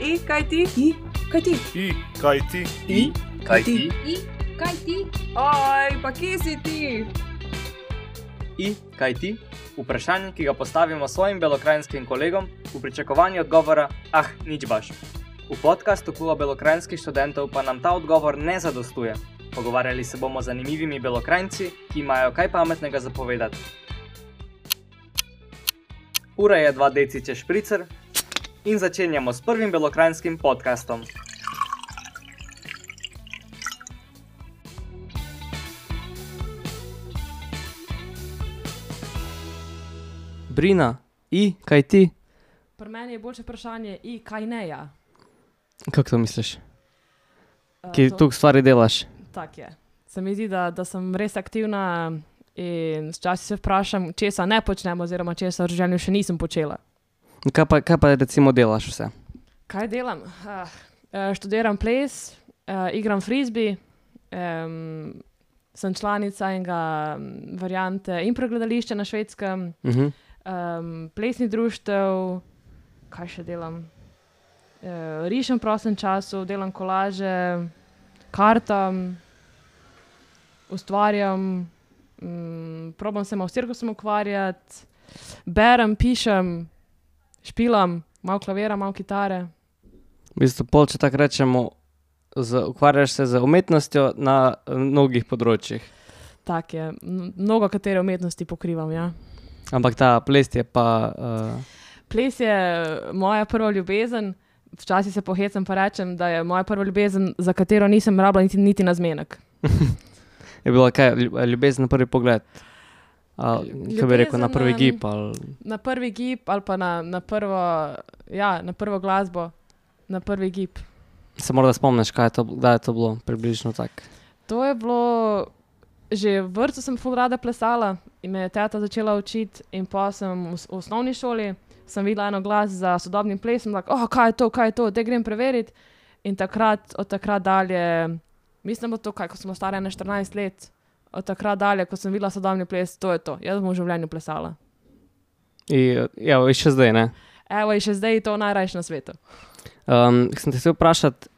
kaj ti? Oj, pa kje si ti? Kaj ti? Vprašanje, ki ga postavimo svojim belokranjskim kolegom v pričakovanju odgovora, nič baš. V podcastu Kluba belokranjskih študentov pa nam ta odgovor ne zadostuje. Pogovarjali se bomo z zanimivimi belokranjci, ki imajo kaj pametnega zapovedati. Ura je 2 decice špricer in začenjamo s prvim belokranjskim podcastom. Brina, kaj ti? Pri meni je boljše vprašanje, kaj ne ja. Kako to misliš? Ki tu stvari delaš? Tak je. Se mi zdi, da sem res aktivna in včasih se vprašam, česa ne počnem oziroma česa v življenju še nisem počela. Kaj pa recimo delaš vse? Kaj delam? Študiram ples, igram frisbee, sem članica enega variante improgledališča na Švedskem, plesni društev, kaj še delam? Rišem v prostem času, delam kolaže, kartam, ustvarjam, probam se malo s cirkusom ukvarjati, berem, pišem, špilam, malo klavira, malo kitare. V bistvu pol, če tako rečemo, ukvarjaš se z umetnostjo na mnogih področjih. Tak je, mnogo katere umetnosti pokrivam, ja. Ampak ta ples je pa... Ples je moja prva ljubezen, včasih se pohecam pa rečem, da je moja prva ljubezen, za katero nisem rabila niti na zmenek. Je bila kaj, ljubezen na prvi pogled? Kaj bi rekel, na prvi gib? Na prvi gib ali pa na prvo glasbo, na prvi gib. Se morda spomniš, kdaj je to bilo približno tak? To je bilo, že v vrtcu sem ful rada plesala in me je teta začela učiti in pa sem v osnovni šoli, sem videla eno glas za sodobnim plesom, kaj je to, da grem preveriti. In od takrat dalje, mislim, da to, ko sem stara 14 let, od takrat dalje, ko sem videla sodobni ples, to je to. Jaz bom v življenju plesala. Evo, in še zdaj, ne? Evo, in še zdaj je to najrajše na svetu. Sem te chcel vprašati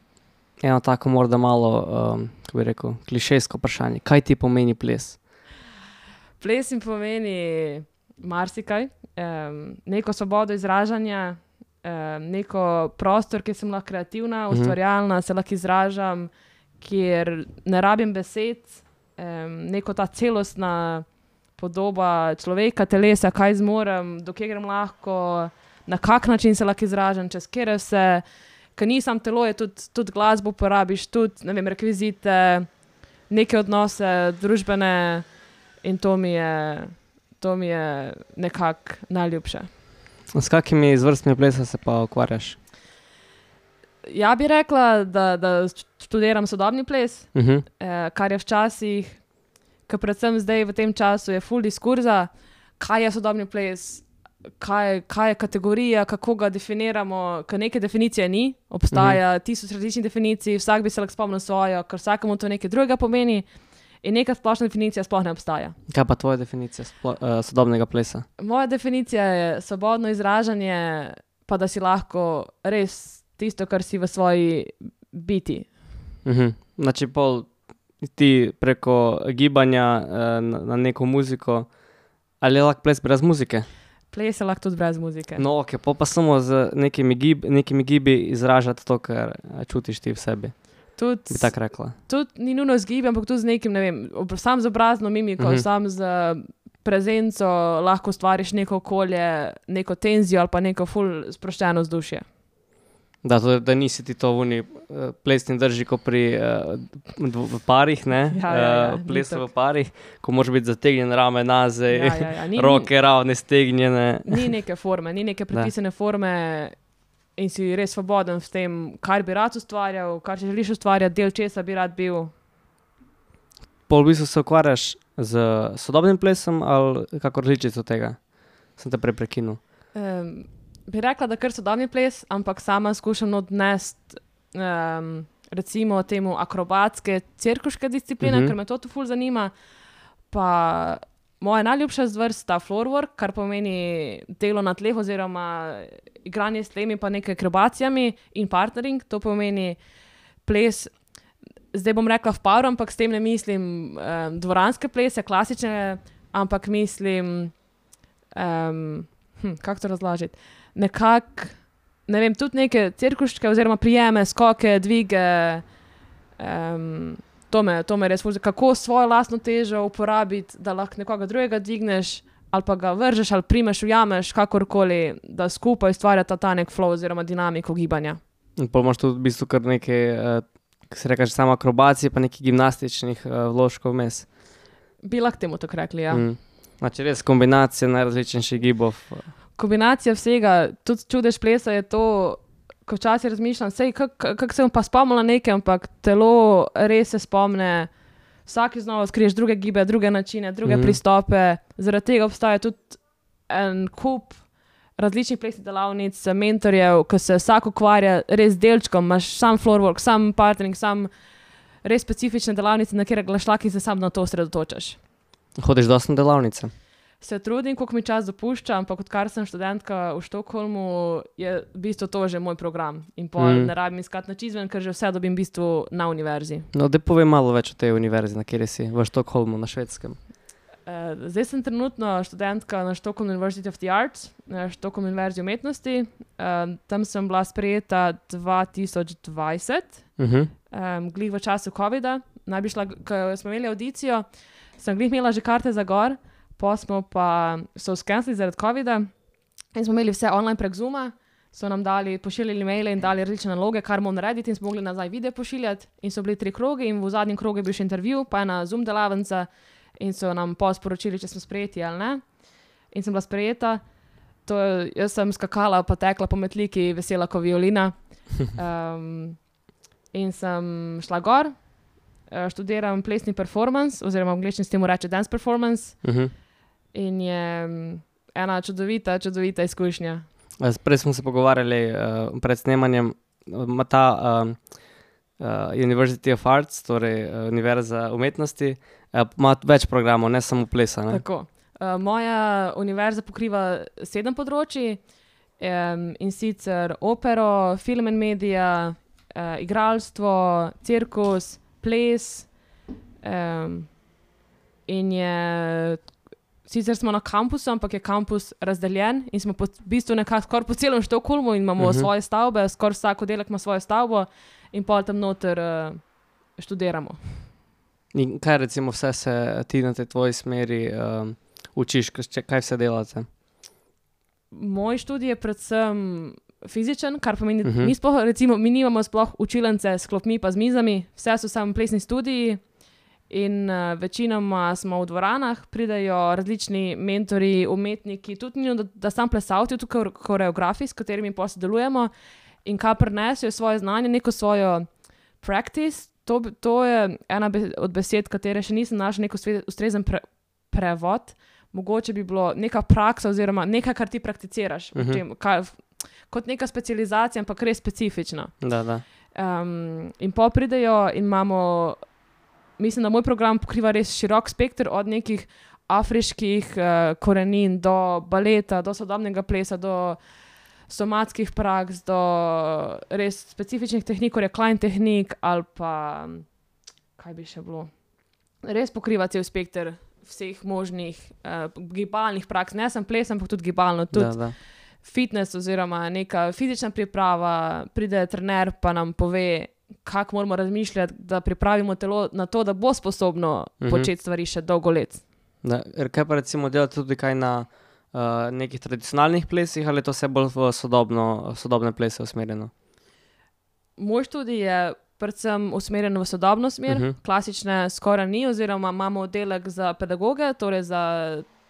eno tako morda malo, kako bi rekel, klišejsko vprašanje. Kaj ti pomeni ples? Ples mi pomeni marsikaj. Neko svobodo izražanja, neko prostor, kjer sem lahko kreativna, ustvarjalna, se lahko izražam, kjer ne rabim besed, neko ta celostna podoba človeka, telesa, kaj zmorem, do kje grem lahko, na kak način se lahko izražam, čez kjer vse, ker ni sam telo, je tudi glasbo uporabiš, tudi, ne vem, rekvizite, neke odnose družbene in to mi je nekako najljubše. S kakimi izvrstmi plesa se pa ukvarjaš? Ja bi rekla, da študiram sodobni ples, kar je včasih, ker predvsem zdaj v tem času je ful diskurza, kaj je sodobni ples, kaj je kategorija, kako ga definiramo, ker neke definicije ni, obstaja 1000 različnih definicij, vsak bi se lahko spomnil svojo, ker vsakemu to nekaj drugega pomeni in neka splošna definicija sploh ne obstaja. Kaj pa tvoja definicija sodobnega plesa? Moja definicija je svobodno izražanje, pa da si lahko res tisto, kar si v svoji biti. Znači pol ti preko gibanja na neko muziko, ali je lahko ples brez muzike? Ples je lahko tudi brez muzike. No, ok, pa samo z nekimi gibi izražati to, kar čutiš ti v sebi. Bi tako rekla. Tudi ni nujno z gibi, ampak tudi z nekim, ne vem, sam z obrazno mimiko, sam z prezenco lahko stvariš neko okolje, neko tenzijo ali pa neko ful sproščeno vzdušje. Da nisi ti to v plesni drži, ko v parih, ne? Plesu v parih, ko moraš biti zategnjen rame nazaj, roke ravne stegnjene. Ni neke forme, ni neke predpisane forme in si res svoboden v tem, kar bi rad ustvarjal, kar si želiš ustvarjati, del česa bi rad bil. Pol v bistvu se ukvarjaš z sodobnim plesom ali kako različico tega? Sem te prej prekinul. Bi rekla, da kar sodobni ples, ampak sama skušam odnesti recimo temu akrobatske, cirkuške discipline, ker me to ful zanima, pa moja najljubša zvrst sta floorwork, kar pomeni delo na tleh oziroma igranje s tlemi pa nekaj akrobacijami in partnering, to pomeni ples, zdaj bom rekla v paru, ampak s tem ne mislim dvoranske plese, klasične, ampak mislim, kako to razložiti, nekako, ne vem, tudi neke cirkuške oziroma prijeme, skoke, dvige, to me res fuzi, kako svojo lastno težo uporabiti, da lahko nekoga drugega dvigneš, ali pa ga vržeš, ali primeš, ujameš, kakorkoli, da skupaj ustvarjata ta nek flow oziroma dinamiko gibanja. In pol imaš tudi v bistvu kar nekaj, kako se rekaš, samo akrobacije, pa nekaj gimnastičnih vložkov vmes. Bi lahko temu tako rekli, ja. Znači res kombinacija najrazličnejših gibov. Kombinacija vsega, tudi čudež plesa je to, ko včasih razmišljam, kako se bom pa spomnila nekaj, ampak telo res se spomne, vsaki znova odkriješ druge gibe, druge načine, druge pristope, zaradi tega obstaja tudi en kup različnih plesnih delavnic, mentorjev, ko se vsak ukvarja res delčkom, imaš sam floorwork, sam partnering, sam res specifične delavnice, na kjer glašlaki se sam na to osredotočaš. Hodiš dosti na delavnice? Se trudim, koliko mi čas dopušča, ampak odkar sem študentka v Štokholmu, je v bistvu to že moj program. In pol ne rabim iskati nič izven, ker že vse dobim v bistvu na univerzi. No, da povem malo več o tej univerzi, na kjer si, v Štokholmu, na Švedskem. Zdaj sem trenutno študentka na Stockholm University of the Arts, na Stockholm Univerzi umetnosti. Tam sem bila sprejeta 2020, glih v času covida. Naj bi šla, ko smo imeli audicijo, sem glih imela že karte za gor, so skenslili zaradi covida in smo imeli vse online prek Zooma, so nam pošiljali maile in dali različne naloge, kar moramo narediti in smo mogli nazaj video pošiljati in so bili 3 krogi in v zadnjem krogu je bil še intervju, pa ena Zoom delavnica in so nam sporočili, če smo sprejeti ali ne. In sem bila sprejeta, jaz sem skakala pa tekla po metliki, vesela ko violina in sem šla gor, študiram plesni performance, oziroma v angleščini se temu reče dance performance. In je ena čudovita izkušnja. Prej smo se pogovarjali pred snemanjem, ima ta University of Arts, torej Univerza umetnosti, ima več programov, ne samo plesa. Ne? Tako. Moja univerza pokriva 7 področji, in sicer opero, film and media, igralstvo, cirkus, ples, in je, sicer smo na kampusu, ampak je kampus razdeljen in smo v bistvu nekako skoraj po celem Štokholmu in imamo svoje stavbe, skoraj vsak oddelek ima svojo stavbo in pol tam noter študiramo. In kaj recimo vse se ti na tej tvoji smeri učiš, kaj vse delate? Moj študij je predvsem fizičen, kar pomeni, mi nimamo sploh učilnice s klopmi pa z mizami, vse so samo plesni studiji in večinoma smo v dvoranah, pridejo različni mentori, umetniki, tudi da sam plesalci, tudi koreografi, s katerimi pa sodelujemo in kaj prinesejo svoje znanje, neko svojo practice, to je ena od besed, katere še nisem našla neko ustrezen prevod, mogoče bi bilo neka praksa oziroma nekaj, kar ti prakticiraš, kot neka specializacija, ampak res specifična. Da. In pol pridejo in imamo, mislim, da moj program pokriva res širok spekter od nekih afriških korenin do baleta, do sodobnega plesa, do somatskih praks, do res specifičnih tehnik, recline tehnik ali pa, kaj bi še bilo, res pokriva cel spekter vseh možnih gibalnih praks, ne samo ples, ampak tudi gibalno, tudi fitness oziroma neka fizična priprava, pride trener pa nam pove, kako moramo razmišljati, da pripravimo telo na to, da bo sposobno početi stvari še dolgo let. Kaj pa recimo delate tudi kaj na nekih tradicionalnih plesih ali je to vse bolj v sodobne plese usmerjeno? Moj študij je predvsem usmerjen v sodobno smer, klasične skoraj ni, oziroma imamo oddelek za pedagoge, torej za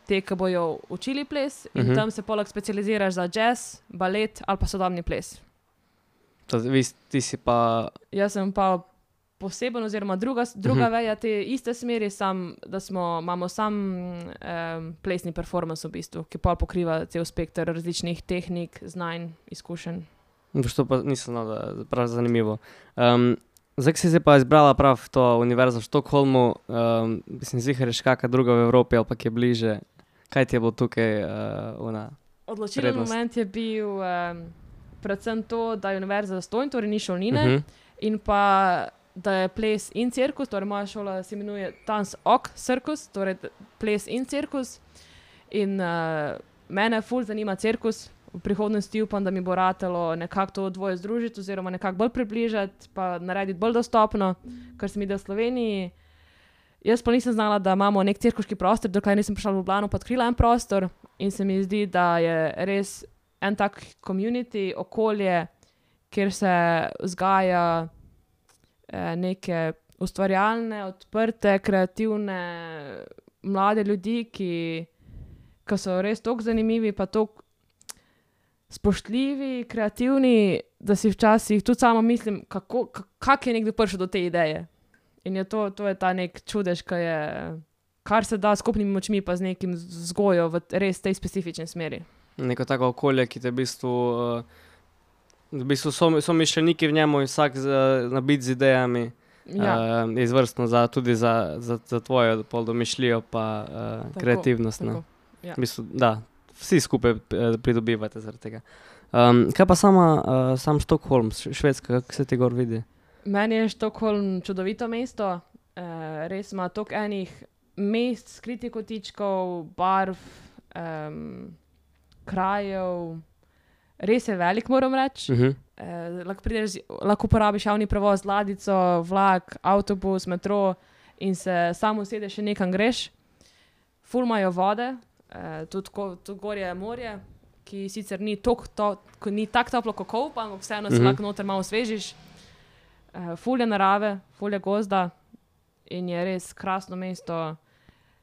te, ki bojo učili ples in tam se poleg specializiraš za jazz, balet ali pa sodobni ples. Ti si pa... Jaz sem pa poseben oziroma druga veja te iste smeri, da imamo sam plesni performance v bistvu, ki pol pokriva cel spekter različnih tehnik, znanj, izkušenj. To pa nisem znal, prav zanimivo. Zdaj, ki si se pa izbrala prav to univerzo v Štokholmu, mislim, ziher je še kakšna druga v Evropi ali pa ki je bliže. Kaj ti je bilo tukaj Odločilen prednost? moment je bil predvsem to, da je univerza zastonj, torej ni šolnine, in pa da je ples in cirkus, torej moja šola se imenuje Tanz ok cirkus, torej ples in cirkus. In mene ful zanima cirkus. V prihodnosti upam, da mi bo ratalo nekako to dvoje združiti oziroma nekako bolj približati, pa narediti bolj dostopno, kar se mi da v Sloveniji. Jaz pa nisem znala, da imamo nek cirkuški prostor, dokaj nisem prišla v Ljubljano, pa odkrila en prostor in se mi zdi, da je res en tak community, okolje, kjer se vzgaja neke ustvarjalne, odprte, kreativne mlade ljudi, ki so res toliko zanimivi, pa toliko spoštljivi, kreativni, da si včasih tudi sama mislim, kako je nekdo prišel do te ideje. In je to je ta nek čudež, kar se da skupnimi močmi pa z nekim vzgojo v res tej specifični smeri. Neko tako okolje, ki te v bistvu so mišljeniki v njemu in vsak nabit z idejami. Je izvrstno tudi za tvojo pol domišljijo pa kreativnost. Tako, ja. V bistvu, da, vsi skupaj pridobivate zaradi tega. Kaj pa sam Štokholm, Švedska, kako se ti gor vidi? Meni je Štokholm čudovito mesto. Res ima toliko enih mest, skritih kotičkov, barv, krajev. Res je velik, moram reči. Lahko uporabiš javni prevoz, ladjico, vlak, avtobus, metro in se samo usedeš in nekam greš. Ful imajo vode. Tudi gor je morje, ki sicer ni tako toplo kot Kolp, ampak vseeno se lahko noter malo osvežiš. Ful je narave, ful je gozda in je res krasno mesto.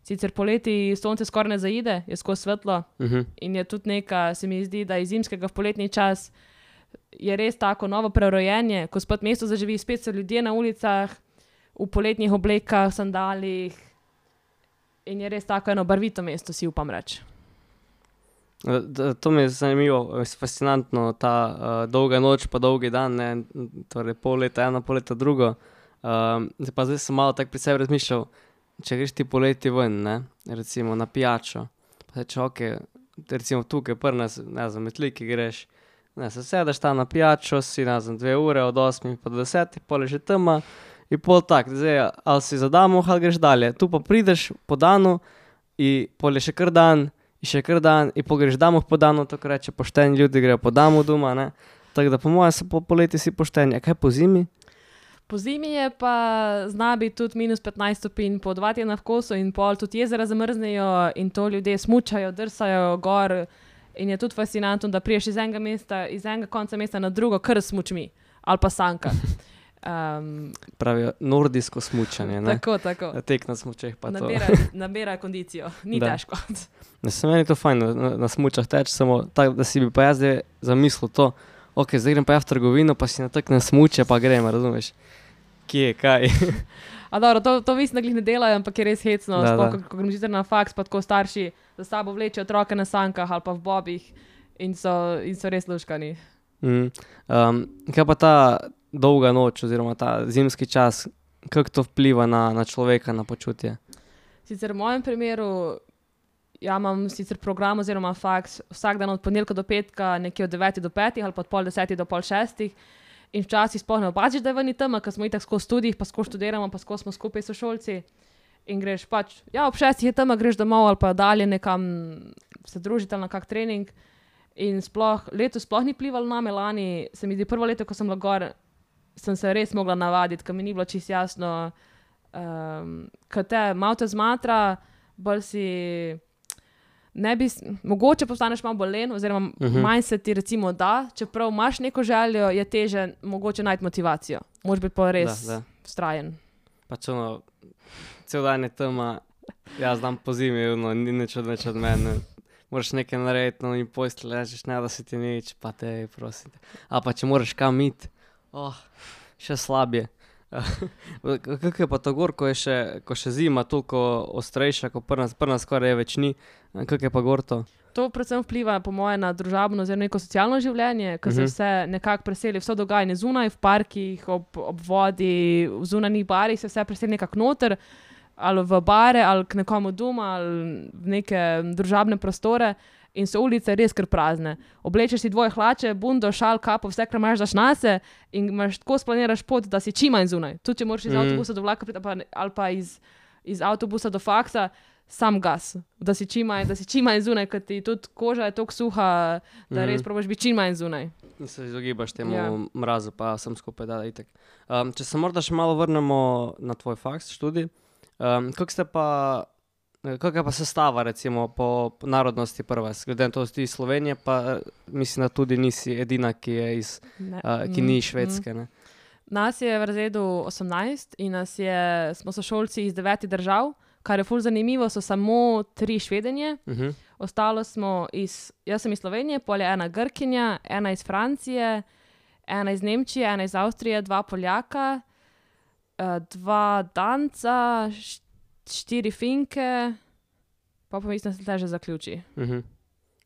Sicer poleti sonce skoraj ne zaide, je skozi svetlo in je tudi se mi zdi, da iz zimskega v poletni čas je res tako novo prerojenje, ko spet mesto zaživi, spet so ljudje na ulicah, v poletnih oblekah, sandalih. In je res tako eno barvito mesto, si upam reči. To mi je zanimivo, fascinantno, ta dolga noč pa dolgi dan, ne? Torej pol leta eno, pol leta drugo. Zdaj sem malo tak pri sebi razmišljal, če greš ti poleti ven, ne? Recimo na pijačo, pa se recimo tukaj pri nas, ne znam, Metliki greš, se sedeš tam na pijačo, si 2 ure od 8 pa do 10, pol je že tema. In pol tak, zdaj, ali si zadamo, ali greš dalje. Tu pa prideš po danu in pol je še kar dan, in pol greš damo po danu, tako reče, pošteni ljudi grejo po damu doma, ne. Tako da po mojem so po poleti si pošteni. A kaj po zimi? Po zimi je pa zna biti tudi -15 stopinj, po 2 tedna v kosu in pol tudi jezera zamrznejo in to ljudje smučajo, drsajo gor in je tudi fascinantno, da priješ iz enega konca mesta na drugo, kar s smučmi ali pa sanka. Pravijo nordijsko smučanje, ne? Tako. Tek na smučeh pa to. Nabira kondicijo, ni težko. Se meni to fajn na smučah teč, samo tako, da si bi pa jaz zdaj zamislil to, zdaj grem pa v trgovino, pa si nataknem smuče, pa grem, razumeš? Kje, kaj? A dobro, to mislim, da glih ne delajo, ampak je res hecno, ko grem zjutraj na faks, pa tako starši za sabo vlečejo otroke na sankah ali pa v bobih in so res luškani. Kaj pa ta dolga noč oziroma ta zimski čas, kako to vpliva na človeka, na počutje? Sicer v mojem primeru, imam sicer program oziroma faks vsak dan od ponedeljka do petka, nekje od 9 do 5 ali pa od pol 10 do pol 6 in včasih sploh ne opaziš, da je ven tema, ker smo itak skozi študijih, pa skozi študiramo, pa skozi smo skupaj sošolci in greš pač, ob 6 je tema, greš domov ali pa dalje nekam se družiti ali na kak trening in letos sploh ni plivalo name, lani se mi zdi prvo leto, ko sem bila gor, sem se res mogla navaditi, ker mi ni bilo čisto jasno, ker malo te zmatra, bolj si mogoče postaneš malo bolj len, oziroma manj se ti recimo da, čeprav imaš neko željo, je teže mogoče najti motivacijo. Moraš biti pa res vztrajen. Pač cel dan je tema, jaz znam po zimi, ni nič od mene. Moraš nekaj narediti, in postelj ležeš, ne da se ti nič, pa te, prosim te. Ali pa če moraš kam iti, še slabje. Kako je pa to gor, ko še zima toliko ostrejša, ko pri nas skoraj več ni, kako je pa gor to? To predvsem vpliva po moje na družabno oziroma neko socialno življenje, ko se vse nekako preseli, vse dogajanje zunaj, v parkih, ob vodi, v zunanjih barih se vse preseli nekako noter, ali v bare, ali k nekomu doma, ali v neke družabne prostore. In so ulice res kar prazne. Oblečeš si dvoje hlače, bundo, šal, kapo, vse, kar imaš, daš nase in imaš tako splaniraš pot, da si čim manj zunaj. Tudi če moraš iz avtobusa do vlaka ali pa iz avtobusa do faksa, sam gas, da si čim manj zunaj, ker ti tudi koža je toliko suha, da res probaš biti čim manj zunaj. In se izogibaš temu mrazu, pa sem skupaj, da itak. Če se morda še malo vrnemo na tvoj faks, študij, kako je pa sestava, recimo, po narodnosti prva? Glede na to, da si iz Slovenije, pa mislim, da tudi nisi edina, ki ni švedske. Ne? Nas je v razredu 18 in smo sošolci iz 9 držav, kar je ful zanimivo, so samo 3 Švedenje. Ostalo smo jaz sem iz Slovenije, pol je ena Grkinja, ena iz Francije, ena iz Nemčije, ena iz Avstrije, 2 Poljaka, 2 Danca, 4 Finke, pa mislim, da se že zaključi.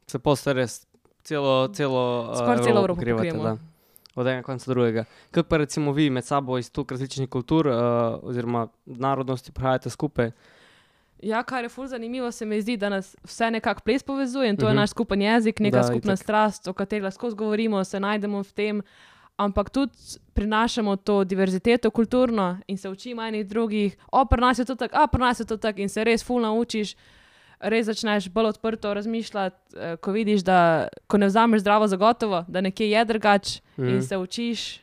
Se posta res celo Evropo pokrivamo. Od enega konca do drugega. Kako pa recimo vi med sabo iz toliko različnih kultur oziroma narodnosti prihajate skupaj? Ja, kar je ful zanimivo, se mi zdi, da nas vse nekako ples povezuje in to je naš skupen jezik, neka skupna strast, o kateri skozi govorimo, se najdemo v tem, ampak tudi prinašamo to diverziteto kulturno in se učimo enih drugih, pri nas je to tako in se res ful naučiš, res začneš bolj odprto razmišljati, ko vidiš, da ko ne vzameš zdravo za gotovo, da nekje je drugač in se učiš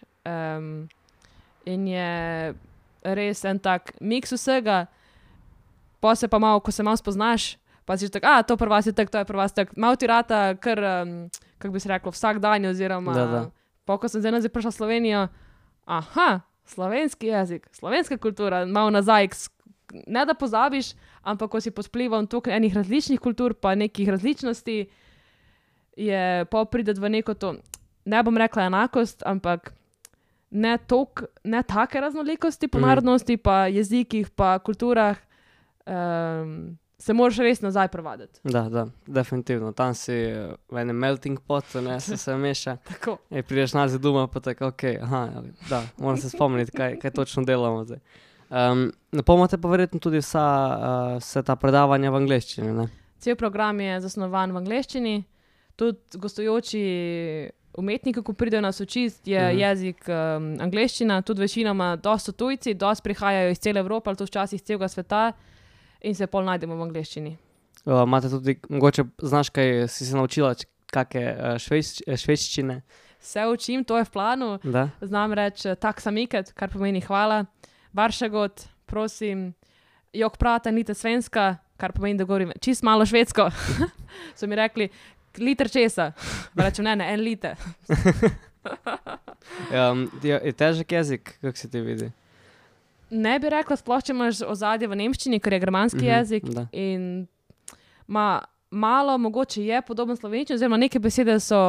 in je res en tak miks vsega, pa se pa malo, ko se malo spoznaš, pa si tako, to pri vas je tako, to je pri vas tako, malo ti rata kar, kako bi se reklo, vsak dan oziroma pa ko sem zdaj nazaj prišla v Slovenijo, slovenski jezik, slovenska kultura, malo nazaj, ne da pozabiš, ampak ko si pod vplivom toliko enih različnih kultur pa nekih različnosti, je pa pride v neko to, ne bom rekla enakost, ampak ne take raznolikosti po narodnosti, pa jezikih, pa kulturah, se moraš res nazaj prevaditi. Da, definitivno. Tam si v enem melting potu, se meša. Tako. Prideš nazaj doma, pa tako, moram se spomniti, kaj točno delamo zdaj. Napomate pa verjetno tudi vse ta predavanja v angleščini, ne? Cel program je zasnovan v angleščini, tudi gostujoči umetniki, ko pridejo nas učiti, je jezik angleščina, tudi večinoma dosti tujci, dosti prihajajo iz cele Evrope, ali to včasih iz celega sveta, in se pol najdemo v angleščini. Imate tudi, mogoče znaš, kaj si se naučila, kakšne švedščine? Se učim, to je v planu. Da? Znam reči tak samiket, kar pomeni hvala. Varsågod, prosim. Jok prata lite svenska, kar pomeni, da govorim čist malo švedsko. So mi rekli, liter česa. Rečem, ne, 1 liter. Je težek jezik, kako se ti vidi? Ne bi rekla, sploh če imaš ozadje v nemščini, ker je germanski jezik in malo mogoče je podoben slovenščini, oziroma neke besede so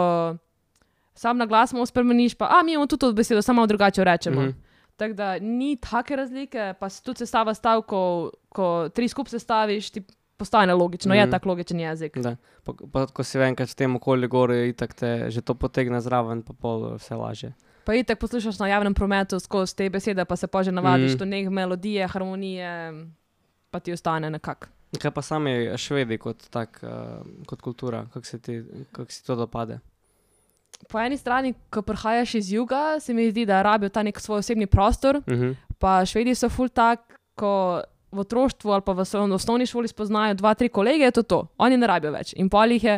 sam na glas malo spremeniš, pa mi imamo tudi to besedo, samo malo drugače rečemo. Tako da ni take razlike, pa tudi sestava stavkov, ko 3 skupaj sestaviš, ti postane logično, je tak logičen jezik. Da, pa ko si enkrat v tem okolju gori, itak te že to potegne zraven, pa pol vse lažje. Pa itak poslušaš na javnem prometu skozi te besede, pa se pa že navadiš do nekih melodije, harmonije, pa ti ostane nekako. Kaj pa sami Švedi kot kultura, kako si to dopade? Po eni strani, ko prihajaš iz juga, se mi zdi, da rabijo ta nek svoj osebni prostor, pa Švedi so ful tak, ko v otroštvu ali pa v osnovni šoli spoznajo 2-3 kolege, je to. Oni ne rabijo več. In pol jih je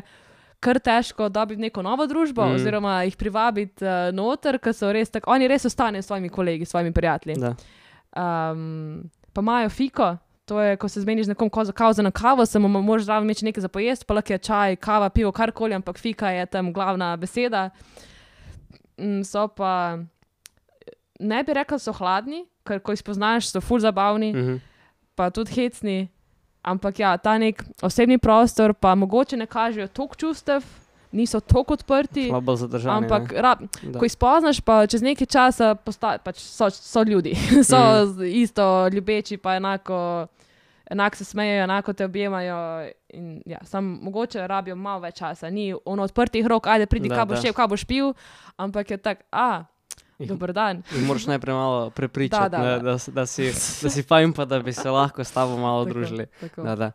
kar težko dobiti neko novo družbo, oziroma jih privabiti noter, ker so res tako, oni res ostanejo s svojimi kolegi, s svojimi prijatelji. Pa imajo fiko, to je, ko se zmeniš z nekom kao za na kavo, samo moraš zraven imeti nekaj za pojesti, pa lahko je čaj, kava, pivo, karkoli, ampak fika je tam glavna beseda. So pa, ne bi rekla, so hladni, ker ko jih spoznaš, so ful zabavni, pa tudi hecni, ampak ja, ta nek osebni prostor, pa mogoče ne kažejo toliko čustev, niso toliko odprti. Malo bolj zadržani. Ampak ne? ko jih spoznaš, pa čez nekaj časa pač so ljudi, so isto ljubeči, pa enako se smejejo, enako te objemajo. In, ja, samo mogoče rabijo malo več časa. Ni ono odprtih rok, ajde pridi, kaj boš šel, kaj boš pil, ampak je tak, dober dan. In moraš najprej malo prepričati, da si fajn, pa da bi se lahko s tabo malo družili. Tako.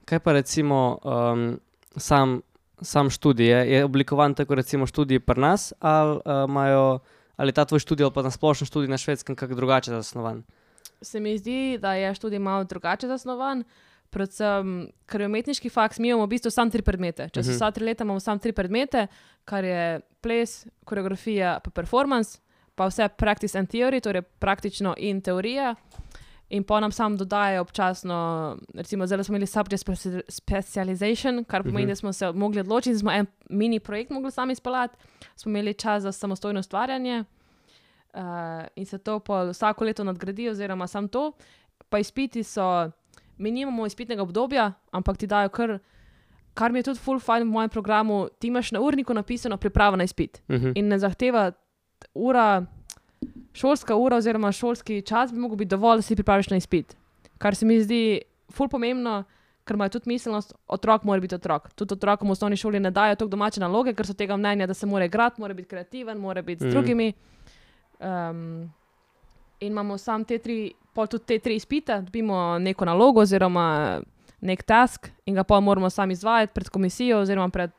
Kaj pa recimo sam študij? Je oblikovan tako recimo študij pri nas, ali ta tvoj študij ali pa na splošno študij na Švedskem kako drugače zasnovan? Se mi zdi, da je študij malo drugače zasnovan, predvsem, ker je umetniški faks, mi imamo v bistvu samo 3 predmete. Čez vsa 3 leta imamo samo 3 predmete, kar je ples, koreografija pa performance, pa vse practice and theory, torej praktično in teorija. In pa nam sam dodajajo občasno, recimo zdaj smo imeli subject specialization, kar pomeni, da smo se mogli odločiti, smo en mini projekt mogli sami izpeljati, smo imeli čas za samostojno ustvarjanje in se to vsako leto nadgradi oziroma samo to. Pa izpiti so, mi nimamo izpitnega obdobja, ampak ti dajo kar mi je tudi full fajn v mojem programu, ti imaš na urniku napisano priprava na izpit in ne zahteva šolska ura oziroma šolski čas bi mogel biti dovolj, da si pripraviš na izpit. Kar se mi zdi ful pomembno, ker imajo tudi miselnost, otrok mora biti otrok. Tudi otrokom v osnovni šoli ne dajo toliko domače naloge, ker so tega mnenja, da se mora igrati, mora biti kreativen, mora biti z drugimi. In imamo sam tudi te 3 izpite, dobimo neko nalogo oziroma nek task in ga pa moramo sami izvajati pred komisijo oziroma pred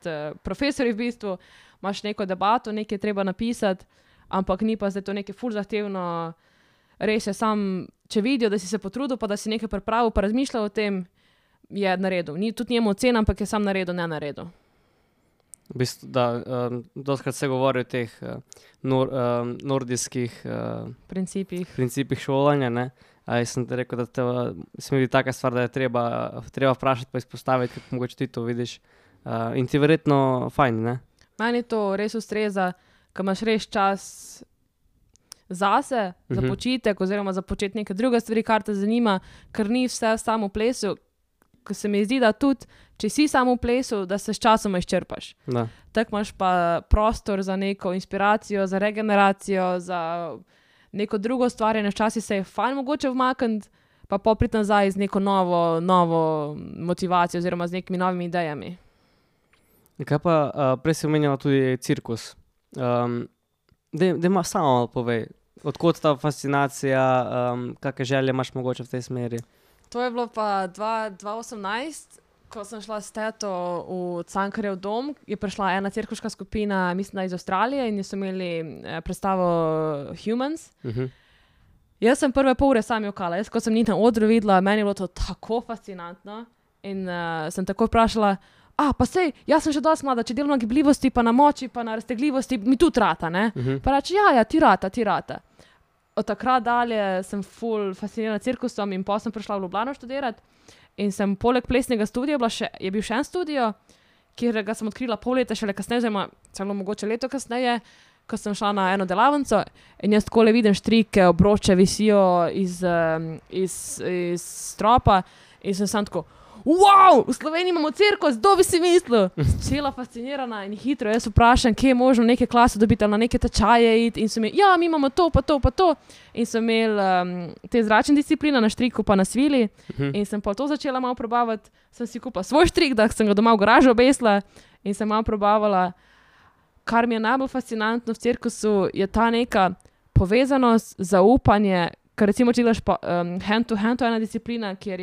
profesorji v bistvu. Imaš neko debato, nekaj treba napisati, ampak ni pa zdaj to nekaj ful zahtevno. Res je sam, če vidijo, da si se potrudil, pa da si nekaj pripravil, pa razmišljal o tem, je naredil. Tudi njemu ocena, ampak je sam naredil, ne naredil. V bistvu, dostkrat se govori o teh nordijskih principih šolanja, ne? Jaz sem te rekel, da se mi vidi taka stvar, da je treba vprašati pa izpostaviti, kako mogoče ti to vidiš. In ti verjetno fajn, ne? Meni to res ustreza, ko imaš res čas zase, za počitek oziroma za početi neke druge stvari, kar te zanima, ker ni vse samo v plesu, ko se mi zdi, da tudi, če si samo v plesu, da se s časoma izčrpaš. Tako imaš pa prostor za neko inspiracijo, za regeneracijo, za neko drugo stvarjanje, včasih se je fajn mogoče vmakniti, pa priti nazaj z neko novo motivacijo oziroma z nekimi novimi idejami. Kaj pa, prej si omenjala tudi cirkus. Daj ma samo malo povej, odkot ta fascinacija, kakšne želje imaš mogoče v tej smeri? To je bilo pa 2018, ko sem šla s teto v Cankarjev dom, je prišla ena cirkuška skupina, mislim, da iz Avstralije in so imeli predstavo Humans. Jaz sem prve pol ure sam jokala, ko sem njih na odru videla, meni je bilo to tako fascinantno in sem tako vprašala, pa sej, jaz sem že dosti mlada, če delam na gibljivosti, pa na moči, pa na raztegljivosti, mi tudi rata, ne? Pa reči, ja, ti rata. Od takrat dalje sem ful fascinirana cirkusom in potem sem prišla v Ljubljano študirati in sem poleg plesnega studija je bil še en studio, kjer ga sem odkrila pol leta šele kasneje, oziroma celo mogoče leto kasneje, ko sem šla na eno delavnico in jaz takole vidim štrike, obroče visijo iz stropa in sem samo tako, wow, v Sloveniji imamo cirkus, kdo bi si mislil? Cela fascinirana in hitro, jaz vprašam, kje je možno neke klase dobiti ali na neke tečaje iti in so mi, ja, mi imamo to, pa to, pa to. In sem imel te zračne discipline na štriku pa na svili in sem pa to začela malo probavati. Sem si kupila svoj štrik, da sem ga doma v garažu obesila in sem malo probavala. Kar mi je najbolj fascinantno v cirkusu, je ta neka povezanost, zaupanje, ker recimo, če gledaš hand to hand, to je ena disciplina, kjer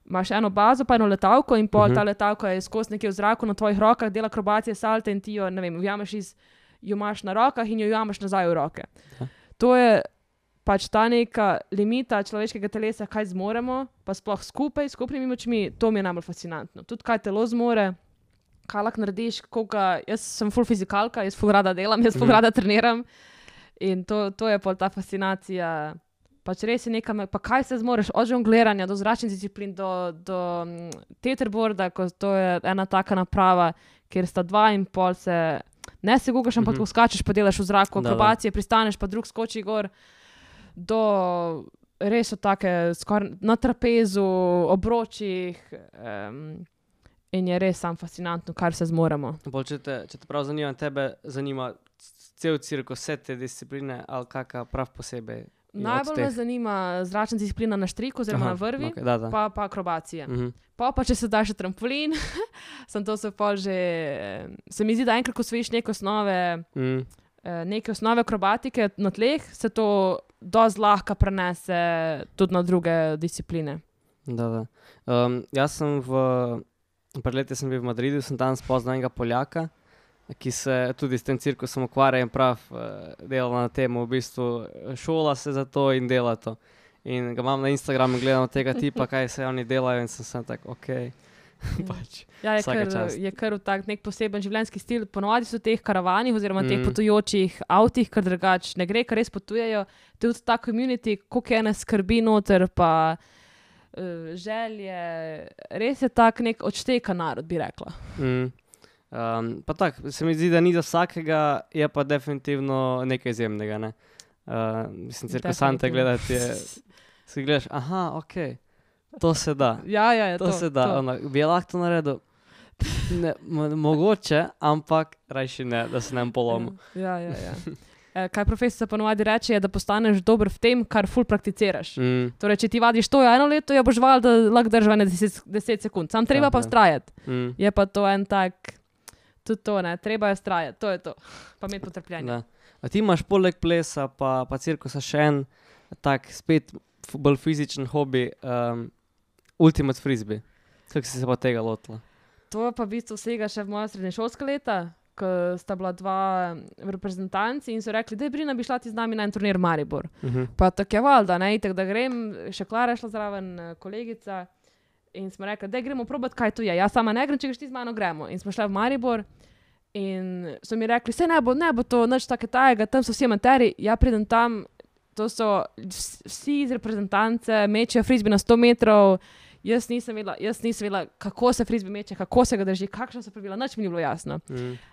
imaš eno bazo, pa eno letalko in ta letalka je skozi nekje v zraku na tvojih rokah, dela akrobacije, salte in ti jo, ne vem, jo imaš na rokah in jo jamaš nazaj v roke. To je pač ta neka limita človeškega telesa, kaj zmoremo, pa sploh skupnimi močmi, to mi je najbolj fascinantno. Tudi kaj telo zmore, kaj lahko narediš, jaz sem ful fizikalka, jaz ful rada delam, jaz ful rada treniram in to je pol ta fascinacija. Pač res je nekaj, pa kaj se zmoreš, od žongliranja do zračnih disciplin, do teeterboarda, ko to je ena taka naprava, kjer sta 2 in pol ne se gugaš, ampak skačeš, pa delaš v zraku, akrobacije, pristaneš, pa drug skoči gor, do res so take skoraj na trapezu, obročih in je res sam fascinantno, kar se zmoremo. Če te prav zanima cel cirkus, vse te discipline ali kakšna prav posebej? Najbolj me zanima zračna disciplina na štriku oziroma na vrvi, okay, pa akrobacije. Pa če se da še trampolin, se mi zdi, da enkrat, ko osvojiš neke osnove akrobatike na tleh, se to dosti lahko prenese tudi na druge discipline. Jaz sem pred leti sem bil v Madridu, sem tam spoznal enega Poljaka, ki se tudi s tem cirkusom ukvarja in prav dela na tem, v bistvu šola se za to in dela to. In ga imam na Instagramu, gledam tega tipa, kaj se oni delajo in sem tak, okej. Je kar tak nek poseben življenjski stil. Ponovadi so teh karavanih oziroma teh potujočih avtih, kar drugače ne gre, kar res potujejo. Tudi ta community, koliko ene skrbi noter, pa želje, res je tak nek odšteka narod, bi rekla. Pa tako, se mi zdi, da ni za vsakega, je pa definitivno nekaj izjemnega, ne. Mislim, cirkusante gledati je, si gledaš, okej, to se da. To se da. Bi je lahko to naredil? Ne, mogoče, ampak rajši ne, da se ne polomil. Kaj profesor ponovadi reče, je, da postaneš dober v tem, kar ful prakticiraš. Torej, če ti vadiš to 1 leto, jo boš vadil, da lahko država 10 sekund. Sam treba pa vztrajati. Je pa to en tak, tudi to, ne, treba je vztrajati, to je to. Pa imeti potrpljenje. A ti imaš poleg plesa pa cirkusa še en tak spet bolj fizičen hobi, ultimate frisbee. Kako si se pa tega lotila? To pa v bistvu vsega še v moja srednješolska leta, ko sta bila 2 reprezentanci in so rekli, daj Brina, bi šla ti z nami na en turnir Maribor. Pa tako je valjda, ne, itak da grem, še Klara je šla zraven, kolegica, in smo rekli, daj gremo probati, kaj to je. Jaz sama ne grem, če greš ti z mano, gremo. In smo šli v Maribor in so mi rekli, ne bo to nič take tajega, tam so vsi amateri, ja pridem tam, to so vsi iz reprezentance, mečejo frisbee na 100 metrov, jaz nisem vedela, kako se frisbee meče, kako se ga drži, kakšno so pravila, nič mi ni bilo jasno.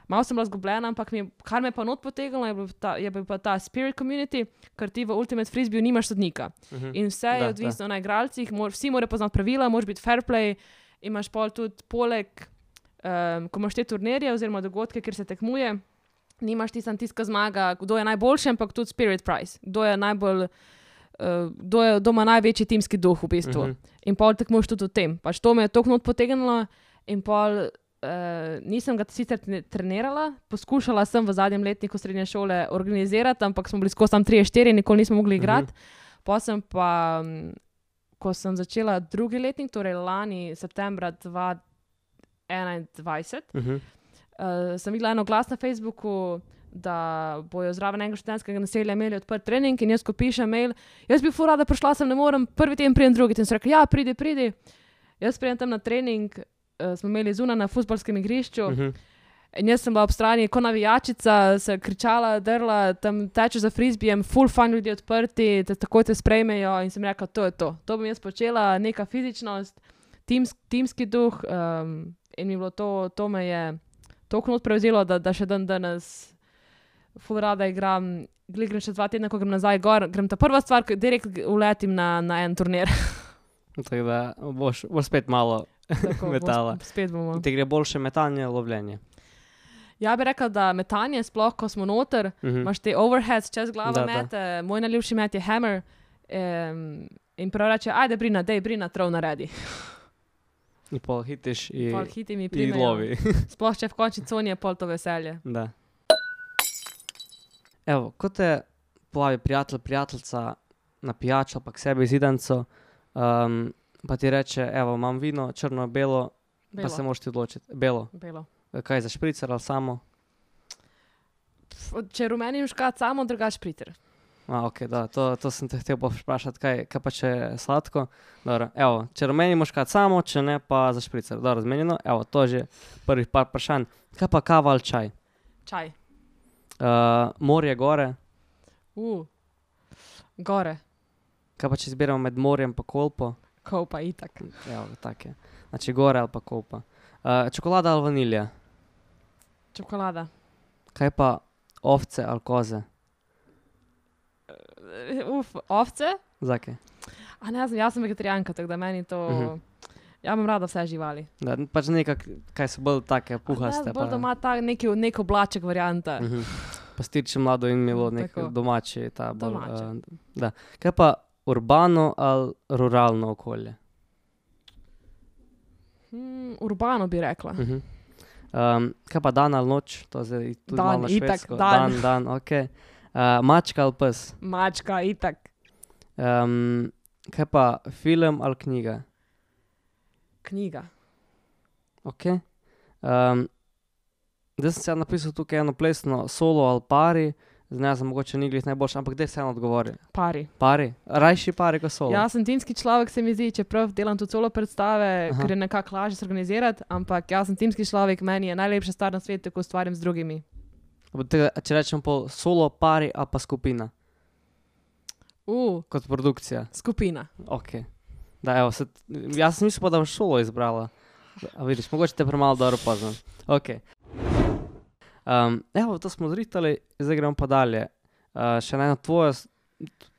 Malo sem bila zgubljena, ampak kar me pa not potegnilo, je bil pa ta spirit community, ker ti v ultimate frisbee nimaš sodnika. In vse je odvisno na igralcih, vsi morajo poznati pravila, moraš biti fair play, imaš pol tudi poleg, ko imaš te turnirje oziroma dogodke, kjer se tekmuje, nimaš tiska zmaga, kdo je najboljši, ampak tudi spirit prize, kdo ima največji timski duh v bistvu. In pol tekmuješ tudi v tem. Pač to me je toliko not potegnilo in pol nisem ga sicer trenirala, poskušala sem v zadnjem letniku srednje šole organizirati, ampak smo bili skozi tam 3-4, nikoli nismo mogli igrati. Potem pa, ko sem začela drugi letnik, torej lani septembra 2021, sem videla eno glas na Facebooku, da bojo zraven enega študentskega naselja imeli odprt trening in jaz, ko pišem mail, jaz bi ful rada prišla, sem ne morem, prvi teden pridem drugi. In so rekli, ja, pridi. Jaz pridem tam na trening, smo imeli zunaj na fuzbalskem igrišču in jaz sem bila ob strani, ko navijačica, se kričala, drla, tam tečeš za frisbeejem, ful fajn ljudi odprti, takoj te sprejmejo in sem rekla, to je to. To bom jaz počela, neka fizičnost, timski duh in mi bilo to me je toliko not prevzelo, da še danes ful rada igram, grem še 2 tedna, ko grem nazaj gor, grem ta prva stvar, direkt uletim na en turnir. Tako da boš spet malo metala. Spet bomo. Te gre boljše metanje, lovljenje. Ja bi rekla, da metanje, sploh ko smo noter, imaš te overheads čez glavo mete, moj najljubši met je hammer in prav reče, ajde Brina, trov naredi. In pol hitiš in lovi. Sploh če v končni coni je pol to veselje. Da. Evo, ko te povabi prijatelj, prijateljica na pijačo pa k sebi zidanco, pa ti reče, evo, imam vino, črno, belo, pa se moraš ti odločiti. Belo. Kaj za špricer ali samo? Če rumeni muškat samo, drugač špricer. Ok, da, to sem te hotel vprašati, kaj pa če je sladko. Dobro, evo, če rumeni muškat samo, če ne pa za špricer. Dobro, zmenjeno, evo, to že prvih par vprašanj. Kaj pa kava ali čaj? Čaj. Morje, gore? Gore. Kaj pa če izbiramo med morjem pa Kolpo? Kolpa, itak. Evo, tak je. Znači gore ali pa Kolpa. Čokolada ali vanilija? Čokolada. Kaj pa ovce ali koze? Ovce? Zakaj? Ne znam, jaz sem vegetarijanka, tako da meni to Ja, imam rada vse živali. Da, pač nekak, kaj so bolj take puhaste. Bolj doma ta neki oblaček varianta. Pastirče mlado in milo, nek Tako. domači. Ta bolj, Domače. da. Kaj pa urbano ali ruralno okolje? Urbano bi rekla. Kaj pa dan ali noč? To zdaj tudi Dan, malo na itak, švedsko. dan. Dan, ok. Mačka ali pes? Mačka, itak. Kaj pa film ali knjiga? Knjiga. Ok. Zdaj sem se napisal tukaj eno plesno solo ali pari, zdaj sem mogoče ni glih najboljši, ampak kdaj se eno odgovori? Pari. Pari? Rajši pari kot solo? Jaz sem timski človek, se mi zdi, čeprav delam tudi solo predstave, Aha. ker je nekako lažje se organizirati, ampak jaz sem timski človek, meni je najlepša stvar na svetu, ko ustvarjam z drugimi. Če rečem pol solo, pari, a pa skupina, kot produkcija. Skupina. Ok. Da, evo, jaz sem mislil, da boš solo izbrala. A vidiš, mogoče te premalo dobro poznam. Ok. Evo, to smo zritali, zdaj gremo pa dalje. Še ena tvoja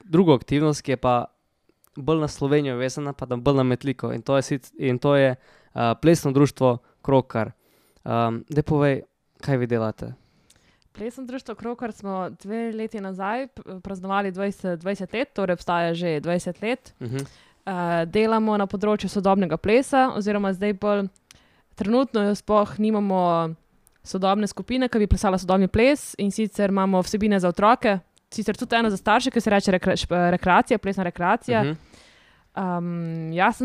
druga aktivnost, ki je pa bolj na Slovenijo vezana, pa da bolj na Metliko. In to je plesno društvo Krokar. Daj povej, kaj vi delate? Plesno društvo Krokar smo 2 leti nazaj praznovali 20 let, torej obstaja že 20 let. Delamo na področju sodobnega plesa, oziroma zdaj bolj trenutno sploh nimamo sodobne skupine, ki bi plesala sodobni ples, in sicer imamo vsebine za otroke, sicer tudi eno za starše, ki se reče rekreacija, plesna rekreacija. Jaz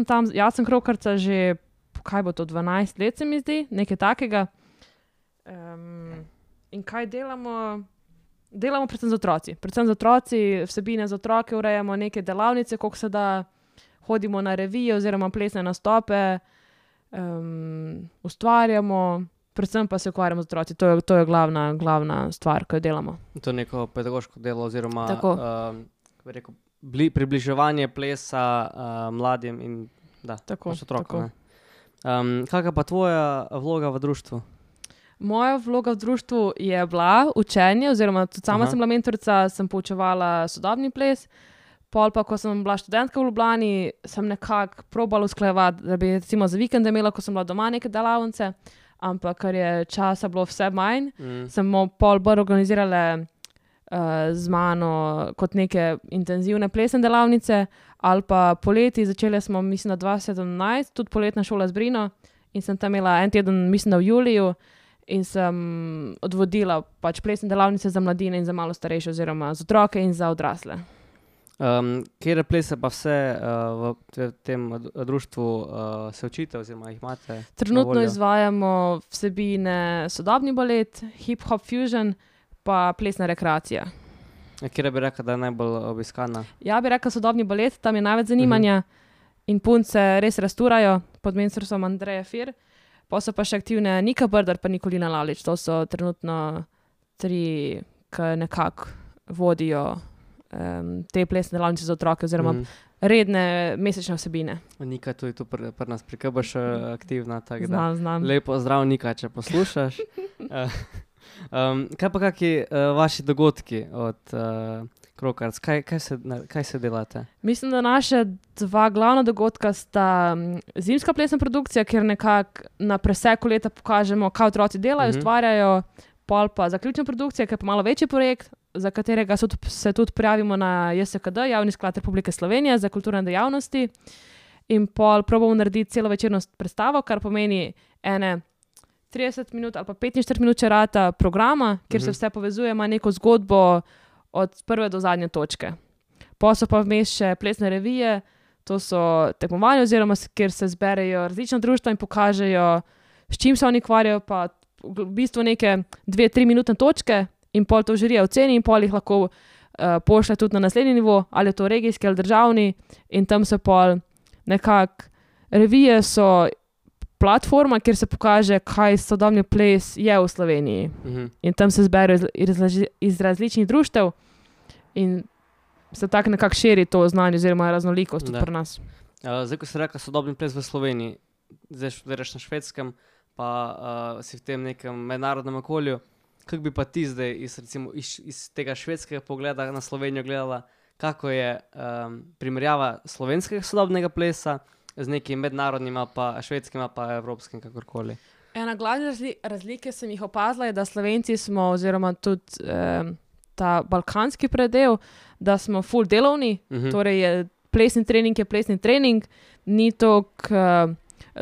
sem krokarca že, kaj bo to, 12 let se mi zdi, nekaj takega. In kaj delamo? Delamo predvsem z otroci, vsebine za otroke, urejamo neke delavnice, koliko se da, hodimo na revije oziroma plesne nastope, ustvarjamo, predvsem pa se ukvarjamo z otroci. To je glavna stvar, ki jo delamo. To je neko pedagoško delo oziroma Tako. kako bi rekel, približevanje plesa mladim in Tako, pač otrokom. tako. Ne? Kakšna pa tvoja vloga v društvu? Moja vloga v društvu je bila učenje, oziroma tudi sama sem bila mentorica, sem poučevala sodobni ples. Pol pa, ko sem bila študentka v Ljubljani, sem nekako probala usklajevati, da bi recimo za vikende imela, ko sem bila doma, neke delavnice, ampak ker je časa bilo vse manj, smo pol bolj organizirale z mano kot neke intenzivne plesne delavnice, ali pa poleti, začeli smo, mislim, da 2017, tudi poletna šola z Brino, in sem tam imela en teden, mislim, da v juliju, in sem odvodila pač plesne delavnice za mladine in za malo starejše, oziroma za otroke in za odrasle. Kjer plese pa vse v tem društvu se učite oziroma jih imate? Trenutno izvajamo vsebine sodobni balet, hip-hop fusion, pa plesna rekreacija. Kjer bi rekla, da je najbolj obiskana? Ja, bi rekla sodobni balet, tam je največ zanimanja in punce res rasturajo pod mentorstvom Andreje Fir. Pa so pa še aktivne Nika Brdar pa Nikolina Lavlič. To so trenutno 3, ki nekako vodijo te plesne delavnice za otroke oziroma redne mesečne vsebine. Nika tudi tu pri nas pri KBŠ aktivna, tako da Znam. lepo zdrav Nika, če poslušaš. Kaj pa kakšni vaši dogodki od Krokarc? Kaj se delate? Mislim, da naše 2 glavna dogodka sta zimska plesna produkcija, kjer nekako na preseku leta pokažemo, kaj otroci delajo, ustvarjajo, pol pa zaključna produkcija, ki je pa malo večji projekt, za katerega se tudi prijavimo na JSKD, Javni sklad Republike Slovenije za kulturne dejavnosti, in pol probamo narediti celovečerno predstavo, kar pomeni ene 30 minut ali pa 45 minut čerata programa, kjer se vse povezuje, ima neko zgodbo od prve do zadnje točke. Pa so pa vmes še plesne revije, to so tekmovanja, oziroma kjer se zberejo različna društva in pokažejo, s čim se oni ukvarjajo, pa v bistvu neke 2-3 minutne točke, in pol to žirija oceni in pol jih lahko pošlje tudi na naslednji nivo, ali je to regijski ali državni, in tam se pol nekako, revije so platforma, kjer se pokaže, kaj sodobni ples je v Sloveniji. In tam se zberejo iz različnih društev in se tako nekako širi to znanje oziroma raznolikost tudi pri nas. Zdaj, ko si rekla sodobni ples v Sloveniji, zdaj študiraš na Švedskem, pa si v tem nekem mednarodnem okolju, kako bi pa ti zdaj iz tega švedskega pogleda na Slovenijo gledala, kako je primerjava slovenskega sodobnega plesa z nekim mednarodnim, ali pa švedskim, ali pa evropskim, kakorkoli. Ena glavna razlike sem jih opazila, je, da Slovenci smo, oziroma tudi ta balkanski predel, da smo full delovni, torej je plesni trening, ni toliko,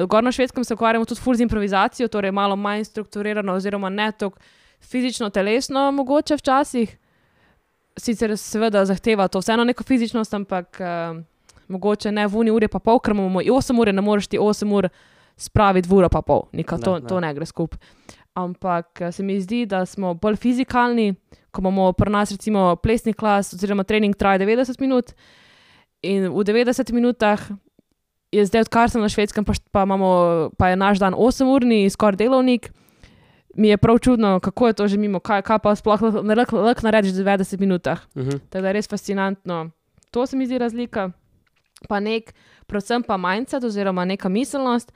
gor na Švedskem se ukvarjamo tudi full z improvizacijo, torej malo manj strukturirano, oziroma ne toliko fizično, telesno mogoče včasih, sicer seveda zahteva to vseeno neko fizičnost, ampak mogoče ne v uni uri pa pol, ker imamo 8 ure, ne moreš ti 8 ur spraviti v uro pa pol, to ne gre skupaj. Ampak se mi zdi, da smo bolj fizikalni, ko imamo pri nas recimo plesni klas oziroma trening traja 90 minut in v 90 minutah je zdaj, odkar sem na Švedskem, pa je naš dan 8-urni, skoraj delovnik, mi je prav čudno, kako je to že mimo, kaj pa sploh lahko narediš v 90 minutah. Tako da je res fascinantno. To se mi zdi razlika. Pa predvsem pa mindset oziroma neka miselnost,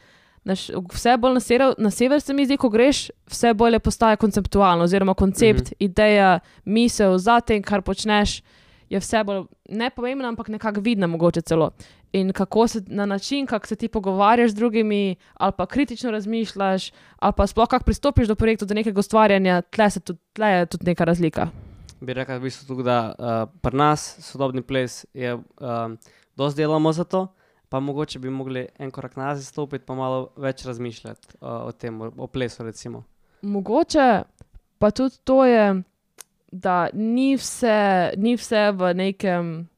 vse bolj na sever se mi zdi, ko greš, vse bolje postaje konceptualno, oziroma koncept, ideja, misel za tem, kar počneš, je vse bolj nepomembna, ampak nekako vidna mogoče celo. In kako se na način, kako se ti pogovarjaš z drugimi, ali pa kritično razmišljaš, ali pa sploh kako pristopiš do projektov, do nekega ustvarjanja, tle je tudi neka razlika. Bi rekel v bistvu tudi, da pri nas sodobni ples je, dosti delamo za to, pa mogoče bi mogli en korak nazaj stopiti, pa malo več razmišljati o tem, o plesu recimo. Mogoče pa tudi to je, da ni vse v nekem,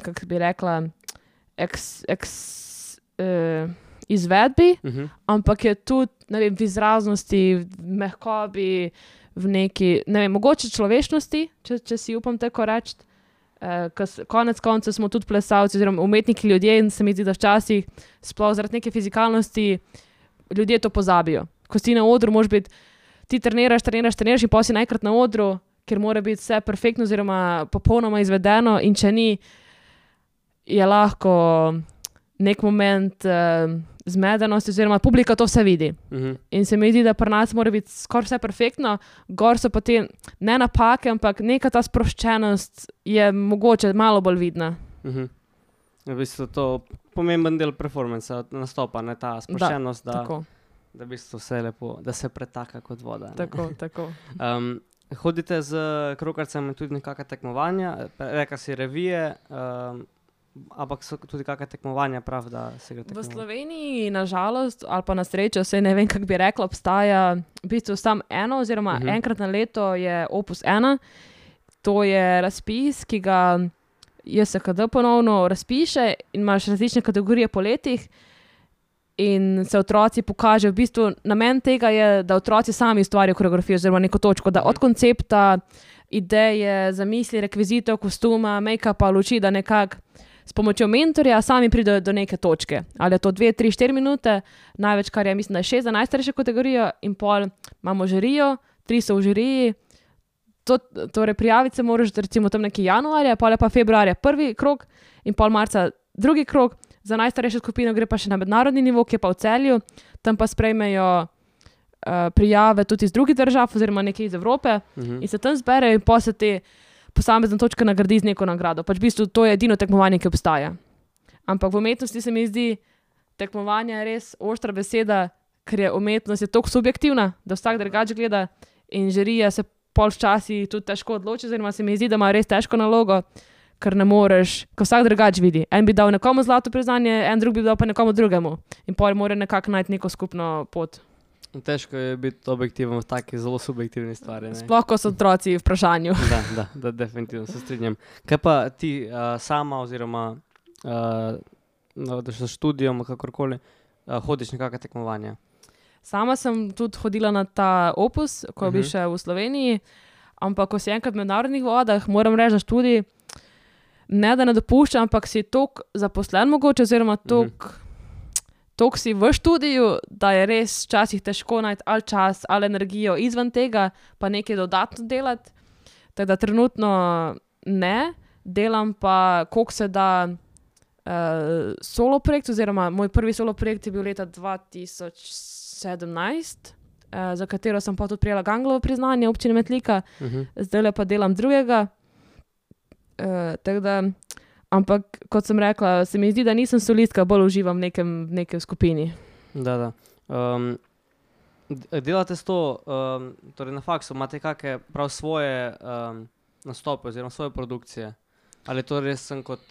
kako bi rekla, izvedbi, ampak je tudi, ne vem, v izraznosti, v mehkobi, v neki, ne vem, mogoče človečnosti, če si upam tako reči. Konec koncev smo tudi plesalci oziroma umetniki ljudje in se mi zdi, da včasih sploh zaradi neke fizikalnosti ljudje to pozabijo. Ko si na odru, moraš biti, ti treniraš in potem si najkrat na odru, ker mora biti vse perfektno oziroma popolnoma izvedeno in če ni, je lahko nek moment zmedenosti oziroma publika to vse vidi. In se mi zdi, da pri nas mora biti skoraj vse perfektno, gor so pa te ne napake, ampak neka ta sproščenost je mogoče malo bolj vidna. V bistvu to pomemben del performansa, nastopa, ne, ta sproščenost, da v bistvu vse lepo, da se pretaka kot voda. Tako. Hodite z krokarcem tudi nekakva tekmovanja, reka si revije, ampak so tudi kakšna tekmovanja, prav, da se gre tekmovati? V Sloveniji, nažalost, ali pa na srečo, saj ne vem, kako bi rekla, obstaja v bistvu samo eno, oziroma enkrat na leto je Opus 1. To je razpis, ki ga JSKD ponovno razpiše in imaš različne kategorije po letih in se otroci pokažejo. V bistvu namen tega je, da otroci sami ustvarijo koreografijo oziroma neko točko, da od koncepta, ideje, zamisli, rekvizitov, kostuma, make-upa, luči, da nekako s pomočjo mentorja sami pridejo do neke točke. Ali je to 2, 3, 4 minute, največ, kar je, mislim, da je 6 za najstarejšo kategorijo in pol imamo žirijo, 3 so v žiriji. Torej prijaviti se moraš recimo tam nekje januarja, pol je pa februarja prvi krog in pol marca drugi krog. Za najstarejšo skupino gre pa še na mednarodni nivo, ki je pa v Celju, tam pa sprejmejo prijave tudi iz drugih držav oziroma nekaj iz Evrope in se tam zberejo in pa se te posamezne točke nagradi z neko nagrado. Pač v bistvu to je edino tekmovanje, ki obstaja. Ampak v umetnosti se mi zdi, tekmovanje je res oštra beseda, ker je umetnost toliko subjektivna, da vsak drugače gleda in žirija se pol včasih tudi težko odloči, oziroma se mi zdi, da ima res težko nalogo, ker ne moreš, ko vsak drugače vidi. En bi dal nekomu zlato priznanje, en drug bi dal pa nekomu drugemu. In pol mora nekako najti neko skupno pot. Težko je biti objektiven v taki zelo subjektivni stvari. Ne? Sploh, ko so otroci v vprašanju. Da, definitivno se strinjam. Kaj pa ti sama oziroma s študijom, kakorkoli, hodiš nekakva tekmovanja? Sama sem tudi hodila na ta Opus, ko bi še v Sloveniji, ampak ko si enkrat v mednarodnih vodah, moram reči, da študij ne da ne dopušča, ampak si toliko zaposlen mogoče, oziroma toliko si v študiju, da je res včasih težko najti ali čas, ali energijo izven tega, pa nekaj dodatno delati. Tako da trenutno ne, delam pa, koliko se da solo projekt, oziroma moj prvi solo projekt je bil leta 2017, za katero sem pa tudi prijela Ganglovo priznanje občine Metlika, zdaj pa delam drugega. Tako da Ampak, kot sem rekla, se mi zdi, da nisem solistka, bolj uživam v nekem skupini. Da. Delate s to, torej na faksu, imate kakšne prav svoje nastope oziroma svoje produkcije? Ali to res sem kot,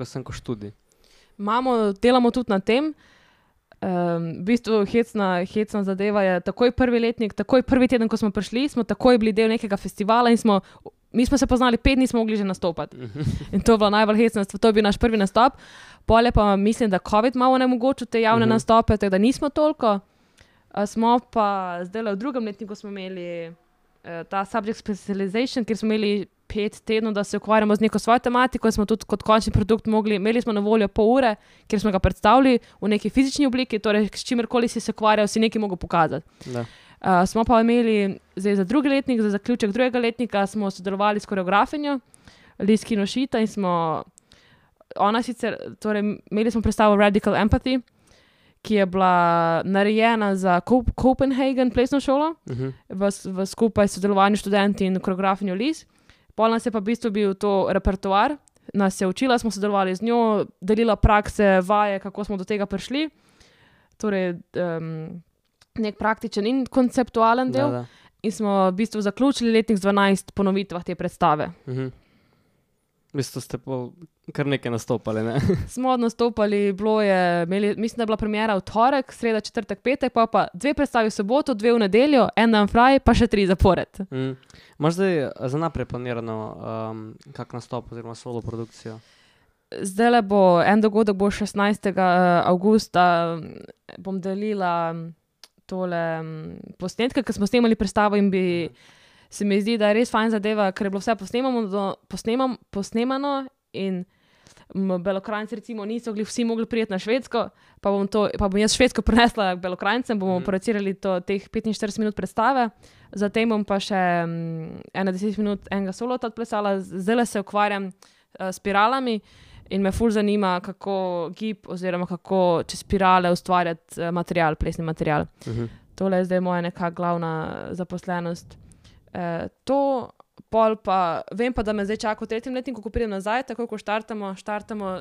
sem kot študij? Delamo tudi na tem. V bistvu hecna zadeva je takoj prvi letnik, takoj prvi teden, ko smo prišli, smo takoj bili del nekega festivala in mi smo se poznali 5 dni, smo mogli že nastopati. In to je bilo najbolj hecno, to je bil naš prvi nastop. Pole pa mislim, da COVID malo onemogočil te javne nastope, tako da nismo toliko. Smo pa zdaj v drugem letniku smo imeli ta subject specialization, kjer smo imeli 5 tednov, da se ukvarjamo z neko svojo tematiko, smo tudi kot končni produkt imeli smo na voljo pol ure, kjer smo ga predstavili v neki fizični obliki, torej s čimerkoli si se ukvarjal, si nekaj mogel pokazati. Smo pa imeli zdaj za drugi letnik, za zaključek drugega letnika smo sodelovali s koreografinjo Liz Kinoshita in imeli smo predstavo Radical Empathy, ki je bila narejena za Copenhagen plesno šolo, v skupaj sodelovanju študenti in koreografinjo Liz. Pol nas je pa v bistvu bil to repertoar, nas je učila, smo sodelovali z njo, delila prakse, vaje, kako smo do tega prišli. Torej, nek praktičen in konceptualen del. Da. In smo v bistvu zaključili letnik z 12 ponovitvah te predstave. V bistvu ste kar nekaj nastopali, ne? Smo nastopali, mislim, da je bila premiera v torek, sreda, četrtek, petek, pa 2 predstavi v soboto, 2 v nedeljo, en dan fraj, pa še 3 zapored. Imaš zdaj za naprej planirano kak nastop oziroma solo produkcijo? Zdajle bo en dogodek, bo 16. avgusta, bom delila tole posnetke, ker smo snemali predstavo in se mi zdi, da je res fajn zadeva, ker je bilo vse posnemano in Belokranjci recimo niso vsi mogli priti na Švedsko, pa bom jaz Švedsko prinesla k Belokranjcem, bomo producirali teh 45 minut predstave, zatem bom pa še 10 minut enega solota odplesala, zdaj se ukvarjam s spiralami in me ful zanima, kako gib oziroma kako čez spirale ustvarjati plesni material. Tole je zdaj moja neka glavna zaposlenost. To pol pa, vem pa, da me zdaj čaka v 3. letniku, ko pridem nazaj, tako ko štartamo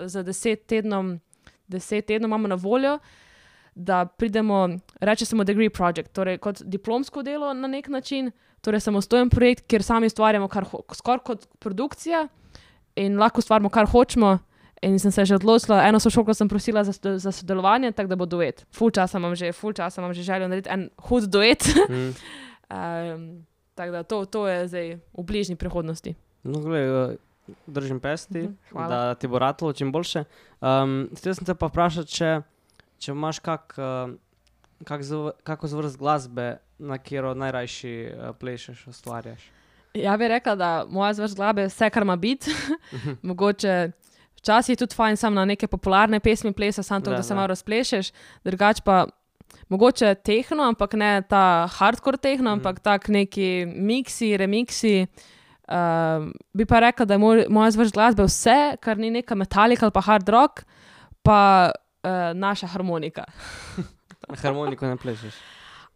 za 10 tednom imamo na voljo, da pridemo, reče se mu degree project, torej kot diplomsko delo na nek način, torej samostojen projekt, kjer sami ustvarjamo skoraj kot produkcija in lahko ustvarjamo, kar hočemo. In sem se že odločila, eno sošolko sem prosila za sodelovanje, tako da bo duet. Ful časa imam že željo narediti en hud duet. Tako da to je zdaj v bližnji prihodnosti. No, glej, držim pesti, da ti bo ratalo čim boljše. Htela sem te pa vprašati, če imaš kako zvrst glasbe, na katero najrajši plešeš, ustvarjaš? Ja bi rekla, da moja zvrst glasbe je vse, kar ima biti. Mogoče včasih je tudi fajn sam na neke popularne pesmi plesa, samo to, da se malo razplešeš. Drugače pa mogoče tehno, ampak ne ta hardcore tehno, ampak tak neki miksi, remiksi. Bi pa rekla, da je moja zvrst glasbe vse, kar ni neka metalika ali pa hard rock, pa naša harmonika. Harmoniko ne plešeš?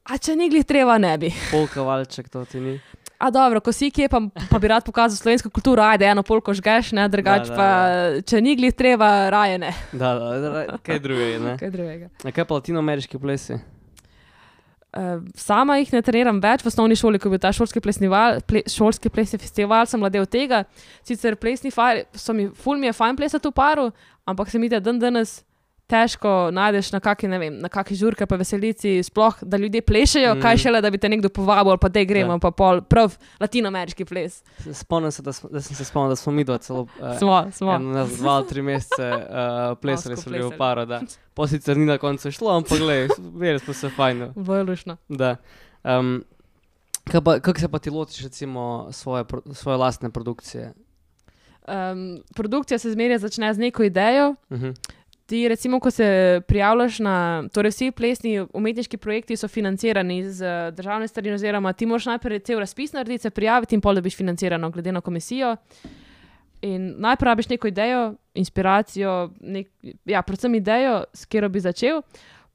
A če ni glih treba, ne bi. Polka, valček, to ti ni? A dobro, ko si kje, pa bi rad pokazal slovensko kulturo, ajde, eno polko žgeš, ne, drugače pa, če ni glih treba, raje ne. Kaj drugega, ne? Kaj drugega. A kaj pa latinoameriški plesi? Sama jih ne treniram več, v osnovni šoli, ko je bil ta šolski plesni festival, sem mladel tega. Sicer ful mi je fajn plesati v paru, ampak se mi da danes težko najdeš na kaki žurke pa veselici, sploh, da ljudje plešejo, kaj šele, da bi te nekdo povabil, ali pa te gremo, pa pol prav latinoameriški ples. Spomnim se, da sem se spomnil, da smo mi dva celo Smo. 2-3 mesece plesali smo bili v paru, da. Po sicer ni na koncu šlo, ampak glej, verjeli smo se fajno. Bolj lušno. Da. Kako se pa ti lotiš recimo svoje lastne produkcije? Produkcija se zmeraj začne z neko idejo. Ti recimo, ko se prijavljaš torej vsi plesni umetniški projekti so financirani z državne strani, oziroma ti moraš najprej cel razpis narediti, se prijaviti in pol dobiš financirano glede na komisijo. In najprej rabiš neko idejo, inspiracijo, predvsem idejo, s katero bi začel,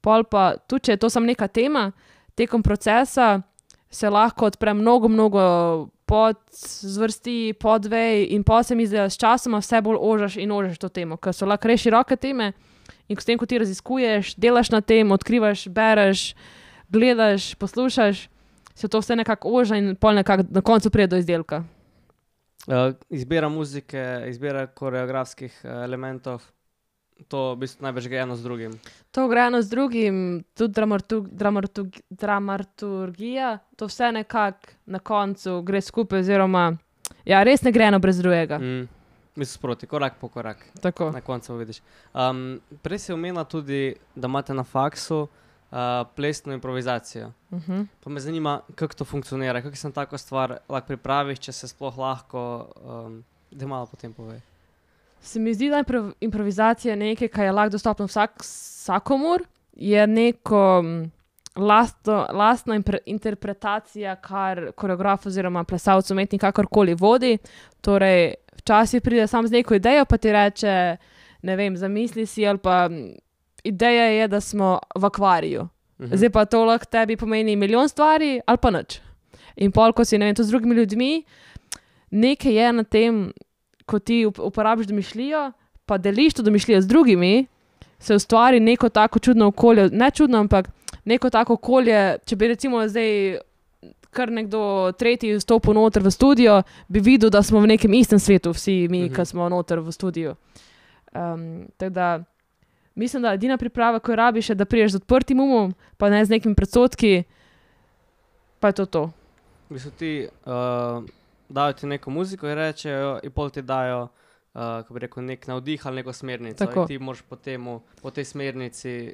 pol pa tudi, če je to samo neka tema, tekom procesa se lahko odpre mnogo podzvrsti, podvej in pa se mi zdi, da s časoma vse bolj ožaš in ožaš to temo, ker so lahko res široke teme in s tem, ko ti raziskuješ, delaš na tem, odkrivaš, bereš, gledaš, poslušaš, se to vse nekako oža in pol nekako na koncu pride do izdelka. Izbira muzike, izbira koreografskih elementov, to v bistvu največ gre eno z drugim. To gre eno z drugim, tudi dramaturgija, to vse nekako na koncu gre skupaj, oziroma res ne gre eno brez drugega. Mislim sproti, korak po korak. Tako. Na koncu vidiš. Prej si omenila tudi, da imate na faksu plesno improvizacijo. Pa me zanima, kako to funkcionira, kako se na tako stvar lahko pripraviš, če se sploh lahko, da malo potem povej. Se mi zdi, da improvizacija je nekaj, kar je lahko dostopno vsakomur, je neko lastna interpretacija, kar koreograf oziroma plesalec, umetnik kakorkoli vodi. Torej, včasih pride sam z neko idejo, pa ti reče, ne vem, zamisli si, ali pa ideja je, da smo v akvariju. Zdaj pa to lahko tebi pomeni milijon stvari, ali pa nič. In pol, ko si, ne vem, to z drugimi ljudmi, nekaj je na tem, ko ti uporabiš domišljijo, pa deliš to domišljijo z drugimi, se ustvari neko tako čudno okolje, ne čudno, ampak neko tako okolje, če bi recimo zdaj kar nekdo tretji vstopil noter v studio, bi videl, da smo v nekem istem svetu, vsi mi, ki smo noter v studiu. Tako da, mislim, da edina priprava, ko jo rabiš, je, da priješ z odprtim umom, pa ne z nekimi predsodki, pa je to. V bistvu ti dajo ti neko muziko in rečejo, in pol ti dajo, kako bi rekel, nek navdih ali neko smernico. Tako. In ti moraš po tej smernici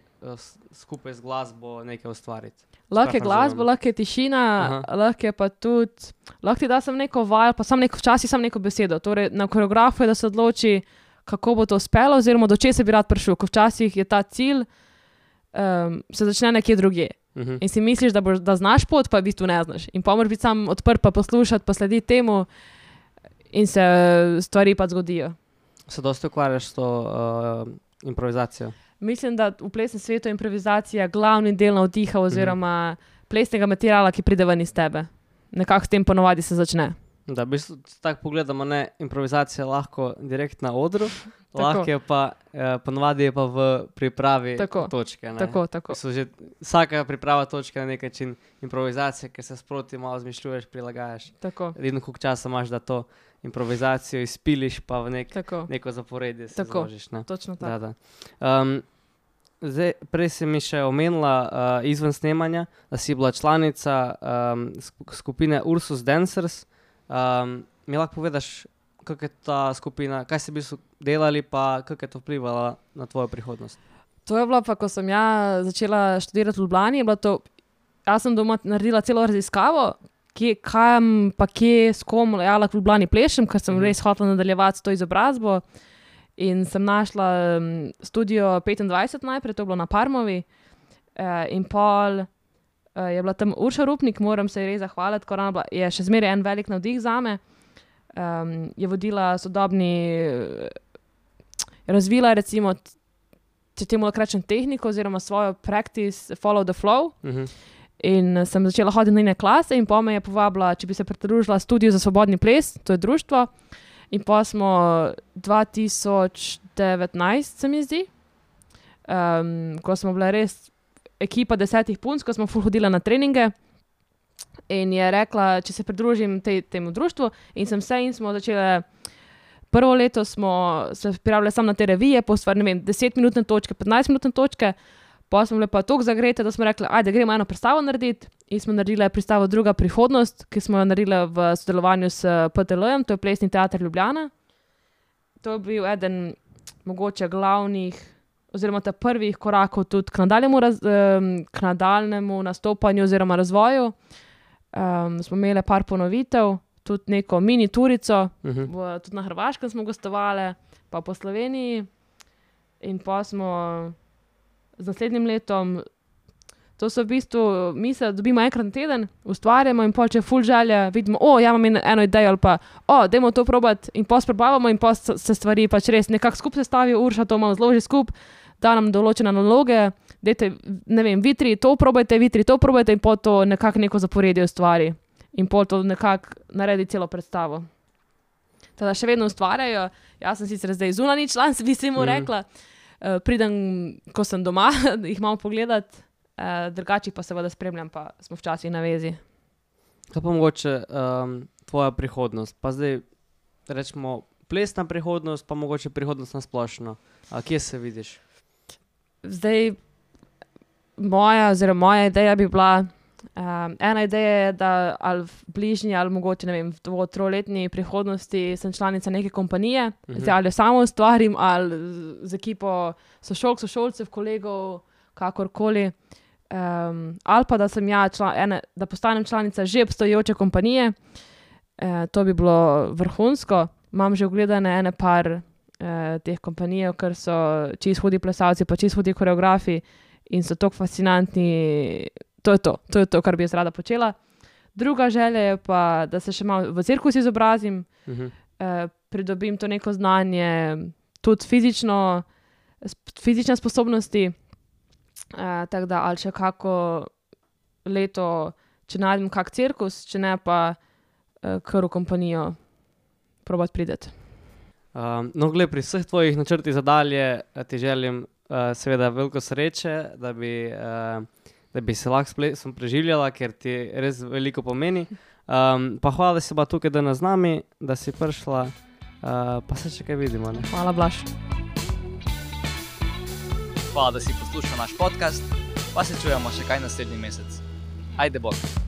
skupaj z glasbo nekaj ustvariti. Lahko je glasba, lahko je tišina, lahko je pa tudi, lahko ti da sam neko vaj, pa včasih sam neko besedo. Torej, na koreografu je, da se odloči, kako bo to uspelo, oziroma do česa bi rad prišel, ko včasih je ta cilj, se začne nekje drugje. In si misliš, da znaš pot, pa v bistvu ne znaš. In pa moraš biti sam odprt, pa poslušati, pa slediti temu in se stvari pa zgodijo. Se dosti ukvarjaš s to improvizacijo? Mislim, da v plesnem svetu je improvizacija glavni del navdiha oziroma plesnega materiala, ki pride ven iz tebe. Nekako s tem ponovadi se začne. Da, v bistvu tako pogledamo, ne, improvizacija lahko direkt na odru, lahko je pa, ponovadi je pa v pripravi točke. Ne? Tako. Vsaka priprava točke na nek način improvizacije, ker se sproti malo zmišljuješ, prilagajaš. Tako. Edino koliko časa imaš, da to improvizacijo izpiliš, pa v neko zaporedje se zložiš. Ne? Točno tako. Da. Zdaj, prej si mi še omenila izven snemanja, da si bila članica skupine Ursus Dancers. Mi lahko povedaš, kako je ta skupina, kaj si v bistvu delali, pa kako je to vplivalo na tvojo prihodnost? To je bilo pa, ko sem začela študirati v Ljubljani, jaz sem doma naredila celo raziskavo, kje, s kom lahko v Ljubljani plešem, ker sem res hotela nadaljevati to izobrazbo. In sem našla studio 25 najprej, to je bilo na Parmovi, in pol je bila tam Urša Rupnik, moram se res zahvaliti, ker ona je še zmeraj en velik navdih zame. Je vodila razvila recimo, če temu lahko rečem tehniko oziroma svojo practice Follow the Flow. In sem začela hoditi na njene klase in pa me je povabila, če bi se pridružila studiu za svobodni ples, to je društvo. In pa smo 2019, se mi zdi, ko smo bile res ekipa 10 punc, ko smo hodila na treninge in je rekla, če se pridružim temu društvu in sem se in smo začele, prvo leto smo se prijavljali samo na te revije, ne vem, 10-minutne točke, 15-minutne točke, pa smo bile pa toliko zagrete, da smo rekli, ajde, gremo eno predstavo narediti in smo naredili predstavo Druga prihodnost, ki smo jo naredili v sodelovanju s PTL-jem, to je Plesni teater Ljubljana. To je bil eden mogoče glavnih oziroma ta prvih korakov tudi k nadaljnemu nastopanju oziroma razvoju. Smo imeli par ponovitev, tudi neko mini turico, tudi na Hrvaškem smo gostovali, pa po Sloveniji in pa smo z naslednjim letom, to so v bistvu, mi se dobimo enkrat na teden, ustvarjamo in pol, če ful želja, vidimo, imam eno idejo ali pa, dajmo to probati in pol sprobavamo in pol se stvari pač res nekako skupaj sestavijo, Urša to malo zloži skupaj, da nam določene naloge, dajte, ne vem, vi tri to probajte in pol to nekako neko zaporedje ustvari. in pol to nekako naredi celo predstavo. Teda še vedno ustvarjajo, jaz sem sicer zdaj zunanji član, bi se mu rekla, pridem, ko sem doma, jih malo pogledat, drugače pa seveda spremljam, pa smo včasih na vezi. Kaj pa mogoče tvoja prihodnost? Pa zdaj rečemo plesna prihodnost, pa mogoče prihodnost na splošno. Kje se vidiš? Zdaj, moja ideja bi bila, ena ideja je, da ali v bližnji, ali mogoče, ne vem, v 2-3-letni prihodnosti sem članica neke kompanije, zdaj ali jo samo ustvarim, ali z ekipo sošolcev, kolegov, kakorkoli, ali pa da sem da postanem članica že obstoječe kompanije, to bi bilo vrhunsko. Imam že ogledane ene par teh kompanijev, ker so čisto hudi plesalci, pa čisto hudi koreografi in so tako fascinantni. To je to, kar bi jaz rada počela. Druga želja je pa, da se še malo v cirkus izobrazim, pridobim to neko znanje, tudi fizične sposobnosti, tako da ali še kako leto, če najdem kak cirkus, če ne pa kar v kompanijo probat prideti. No, gled, pri vseh tvojih načrtih za dalje ti želim seveda veliko sreče, da bi se lahko s plesom preživljala, ker ti res veliko pomeni. Pa hvala, da si bila tukaj danes z nami, da si prišla, pa se še kaj vidimo. Ne? Hvala, Blaž. Hvala, da si poslušal naš podcast, pa se čujemo še kaj naslednji mesec. Ajde bok!